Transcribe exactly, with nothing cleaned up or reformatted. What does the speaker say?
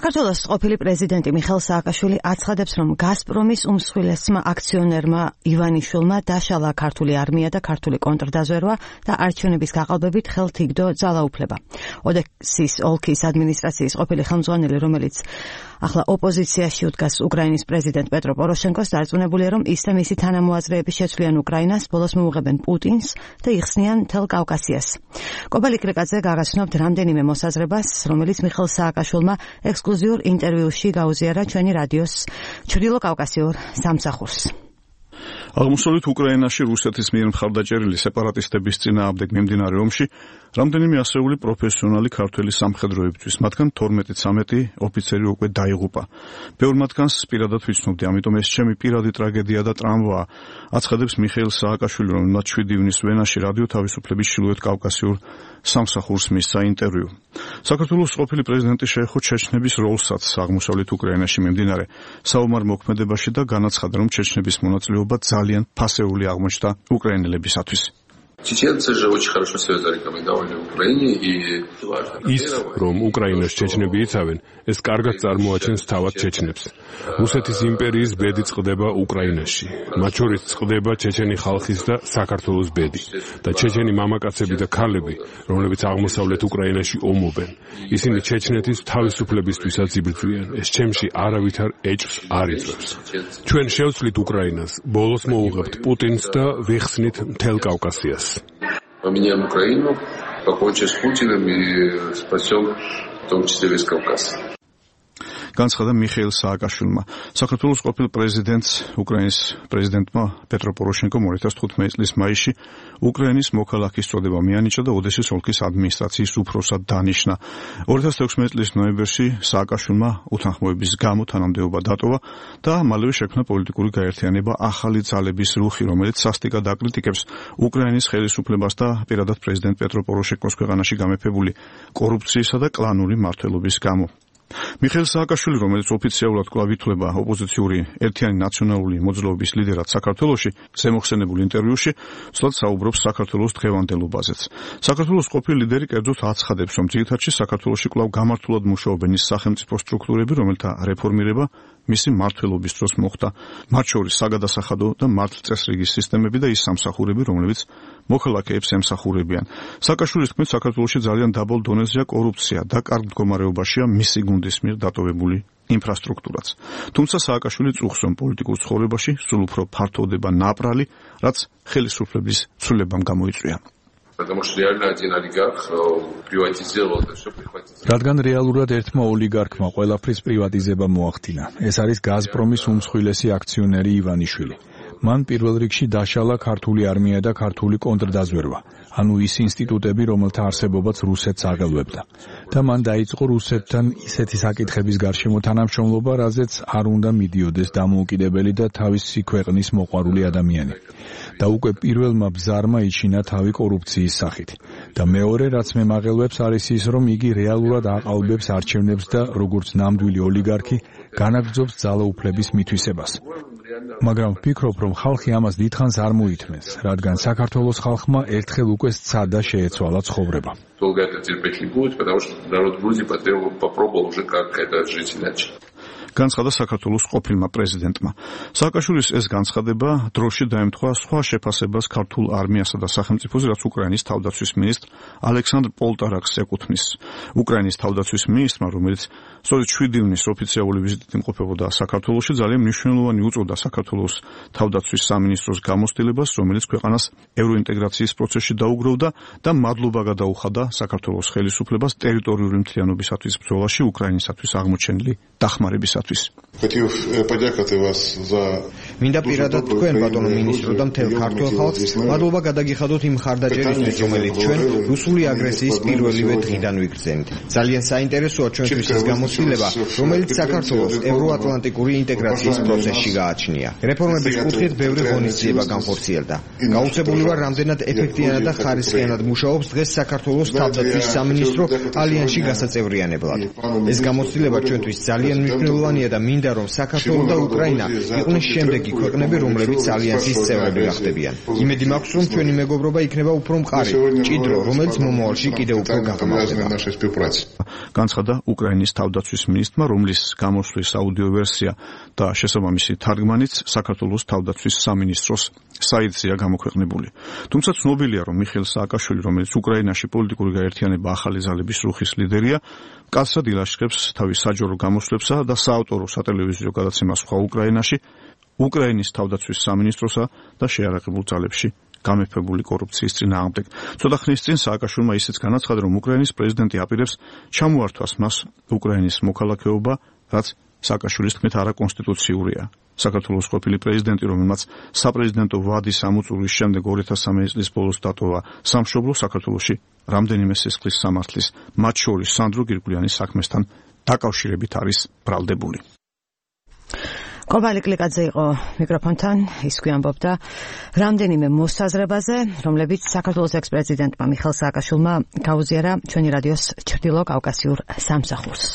საქართველოს ყოფილი პრეზიდენტი მიხეილ სააკაშვილი აცხადებს, რომ გაზპრომის უმსხვილესმა აქციონერმა ივანიშვილმა დაშალა ქართული არმია და ქართული კონტრდაზვერვა და არჩევნების გაყალბებით ხელთ იგდო ძალაუფლება. ოდესის ოლქის ადმინისტრაციის ყოფილი ხელმძღვანელი, რომელიც ახლა ოპოზიციაში უდგას უკრაინის პრეზიდენტ პეტრო პოროშენკოს, დარწმუნებულია, რომ ის და მისი თანამოაზრეები შეცვლიან უკრაინას, ბოლოს მოუღებენ პუტინს და იხსნიან მთელ კავკასიას. კობალიკ რეკაძე გაგაცნობთ რამდენიმე მოსაზრებას, რომელიც მიხეილ სააკაშვილმა ექსკლუზიურ ინტერვიუში გაუზიარა ჩვენი რადიოს ჩრდილო კავკასიურ სამსახურს. აღმოსავლეთ უკრაინაში რუსეთის მიერ მხარდაჭერილი სეპარატისტების წინააღმდეგ მიმდინარე ომში რამდენიმე ასეული პროფესიონალი ქართველი სამხედროებისთვის, მათგან თორმეტი-ცამეტი ოფიცერი უკვე დაიღუპა. ბევრ მათგანს პირადად ვიცნობდი, ამიტომ ეს ჩემი პირადი ტრაგედია და ტრამვაა, აცხადებს მიხეილ სააკაშვილი, რომელმაც შვიდი ივნის ვენაში რადიო თავისუფლების ჩრდილოეთ კავკასიურ სამსახურს მისცა ინტერვიუ. საქართველოს ყოფილი პრეზიდენტი შეეხო ჩეჩნების როლსაც აღმოსავლეთ უკრაინაში მიმდინარე საომარ მოქმედებაში და განაცხადა, რომ ჩეჩნების მონაწილეობა ძალიან ფასეული აღმოჩნდა უკრაინელებისათვის. Чеченцы же очень хорошо себя зарекомендовали в Украине и ის რომ უკრაინას ჩეჩნები იცავენ, ეს კარგად წარმოაჩენს თავად ჩეჩნებს. რუსეთის იმპერიის ბედი წყდება უკრაინაში. მათ შორის წყდება ჩეჩენი ხალხის და საქართველოს ბედი და ჩეჩენი მამაკაცები და ქალები, რომლებიც აღმოსავლეთ უკრაინაში ომობენ. ისინი ჩეჩნეთის თავისუფლებისთვისაც იბრძვიან. ეს ჩემში არავითარ ეჭვს არ იწვევს. ჩვენ შევცვლით უკრაინას, ბოლოს მოუღებთ პუტინს და ვიხსნით მთელ კავკასიას. Поменяем Украину, покончим с Путиным и спасем в том числе весь Кавказ. განცხადა მიხეილ სააკაშვილმა. საქართველოს ყოფილ პრეზიდენტს, უკრაინის პრეზიდენტმა პეტრო პოროშენკომ ორი ათას თხუთმეტი წლის მაისში უკრაინის მოქალაქის წოდება მიანიჭა და ოდესის ოლქის ადმინისტრაციის უფროსად დანიშნა. ორი ათას თექვსმეტი წლის ნოემბერში სააკაშვილმა უთანხმოების გამო თანამდებობა დატოვა და მალევე შექმნა პოლიტიკური გაერთიანება ახალი ძალების რუხი, რომელიც სასტიკად აკრიტიკებს უკრაინის ხელისუფლებას და პირადად პრეზიდენტ პეტრო პოროშენკოს ქვეყანაში გამეფებული კორუფციისა და კლანური მმართველობის გამო. მიხეილ სააკაშვილი, რომელიც ოფიციალურად კვლავ ითვლება ოპოზიციური ერთიანი ნაციონალური მოძრაობის ლიდერად საქართველოში, ზემოხსენებულ ინტერვიუში ცუდად საუბრობს საქართველოს დღევანდელობაზეც. საქართველოს ყოფილი ლიდერი კერძოდ აცხადებს, რომ ძირითადში საქართველოში კვლავ გამართულად მუშაობენ ის სახელმწიფო სტრუქტურები, რომელთა რეფორმირება მისი მმართველობის დროს მოხდა, მათ შორის საგადასახადო და მართლწესრიგის სისტემები და ის სამსახურები, რომლებიც მოქალაქეებს ემსახურებიან. სააკაშვილის თქმით, საქართველოში ძალიან დაბალ დონეზეა კორუფცია და კარგ მდგომარეობაშია მისი გუნდის მიერ დატოვებული ინფრასტრუქტურაც. თუმცა სააკაშვილი წუხს, რომ პოლიტიკურ ცხოვრებაში სულ უფრო ფართოვდება ნაპრალი, რაც ხელისუფლების ცვლილებამ გამოიწვია. Потому что реально один олигарх приватизировал это всё, прихватил. რადგან რეალურად ერთმა ოლიგარქმა ყველაფრის პრივატიზება მოახდინა. ეს არის გაზპრომის უმსხვილესი აქციონერი ივანიშვილი. მან პირველ რიგში დაშალა ქართული არმია და ქართული კონტრდაზვერვა, ანუ ის ინსტიტუტები, რომელთა არსებობაც რუსეთს აღელვებდა. და მან დაიწყო რუსეთთან ისეთი საკითხების გარშემო თანამშრომლობა, რაზეც არ უნდა მიდიოდეს დამოუკიდებელი და თავისი ქვეყნის მოყვარული ადამიანი. და უკვე პირველმა ბზარმა იჩინა თავი კორუფციის სახით. და მეორე, რაც მე მაღელვებს, არის ის, რომ იგი რეალურად აყალბებს არჩევნებს და როგორც ნამდვილი ოლიგარქი განაგრძობს ძალაუფლების მითვისებას. მაგრამ ვფიქრობ, რომ ხალხი ამას დიდხანს არ მოითმენს, რადგან საქართველოს ხალხმა ერთხელ უკვე სცადა შეეცვალა ცხოვრება. Долго это терпеть не будет, потому что народ Грузии потребовал, попробовал уже как это жить иначе. განცხადა საქართველოს ყოფილმა პრეზიდენტმა. სააკაშვილის ეს განცხადება დროში დაემთხვა სხვა შეფასებას ქართულ არმიასა და სახელმწიფოზე, რაც უკრაინის თავდაცვის მინისტრ ალექსანდრ პოლტარაკს ეკუთვნის. უკრაინის თავდაცვის მინისტრმა, რომელიც სწორედ შვიდი ივნის ოფიციალური ვიზიტით იმყოფებოდა საქართველოში, ძალიან მნიშვნელოვანი უწოდა საქართველოს თავდაცვის სამინისტროს გამოცდილებას, რომელიც ქვეყანას ევროინტეგრაციის პროცესში დაუგროვდა და მადლობა გადაუხადა საქართველოს ხელისუფლებას ტერიტორიული მთლიანობისათვის ბრძოლაში უკრაინისათვის აღმოჩენილი დახმარებისათვის. Хотел подякувати вас за მინდა პირადად თქვენ ბატონო მინისტრო და მთელ ქართულ ხალხს მადლობა გადაგიხადოთ იმ ხარდაჭერისთვის, რომელიც ჩვენ რუსული აგრესიის პირველივე დღიდან ვიგრძენთ. ძალიან საინტერესოა ჩვენთვის ის გამოცდილება, რომელიც საქართველოს ევროატლანტიკური ინტეგრაციის პროცესში გააჩნია. რეფორმების კუთხით ბევრი ღონისძიება განხორციელდა. გაუცებული ვარ, რამდენად ეფექტიანად და ხარისხიანად მუშაობს დღეს საქართველოს თავდაცვის სამინისტრო ალიანსში გასაწევრიანებლად. ეს გამოცდილება ჩვენთვის ძალიან მნიშვნელოვანია და მინდა რომ საქართველო და უკრაინა იყვნენ შემდეგ იგი ქვეყნები, რომლებიც ალიანსის წევრები გახდებიან. იმედი მაქვს, რომ ჩვენი მეგობრობა იქნება უფრო მყარი, ჭიდრო, რომელიც მომავალში კიდევ უფრო გაღრმავდება. განცხადა უკრაინის თავდაცვის მინისტრმა, რომლის გამოსვლის აუდიო ვერსია და შესაბამისი თარგმანიც საქართველოს თავდაცვის სამინისტროს საიტზეა გამოქვეყნებული. თუმცა ცნობილია, რომ მიხეილ სააკაშვილი, რომელიც უკრაინაში პოლიტიკური გაერთიანება ახალი ძალების რუხის ლიდერია, კაცად ილაშქრებს თავის საჯარო გამოსვლებსა და საავტორო სატელევიზიო გადაცემას სხვა უკრაინაში, უკრაინის თავდაცვის სამინისტროსა და შეიარაღებულ ძალებში გამეფებული კორუფციის წინააღმდეგ. ცოტა ხნის წინ სააკაშვილმა ისიც განაცხადა, რომ უკრაინის პრეზიდენტი აპირებს ჩამოართვას მას უკრაინის მოქალაქეობა, რაც სააკაშვილის თქმით არაკონსტიტუციურია. საქართველოს ყოფილი პრეზიდენტი, რომელმაც საპრეზიდენტო ვადის ამოწურვის შემდეგ ორი ათას სამი წლის ბოლოს დატოვა სამშობლო, საქართველოში რამდენიმე სისხლის სამართლის, მათ შორის სანდრო გირგვლიანის საქმესთან დაკავშირებით არის ბრალდებული. კობალი კლიკაძე იყო მიკროფონთან, ის გვიამბობდა რამდენიმე მოსაზრებაზე, რომლებიც საქართველოს ექს-პრეზიდენტმა მიხეილ სააკაშვილმა გაუზიარა ჩვენი რადიოს ჩრდილო კავკასიურ სამსახურს.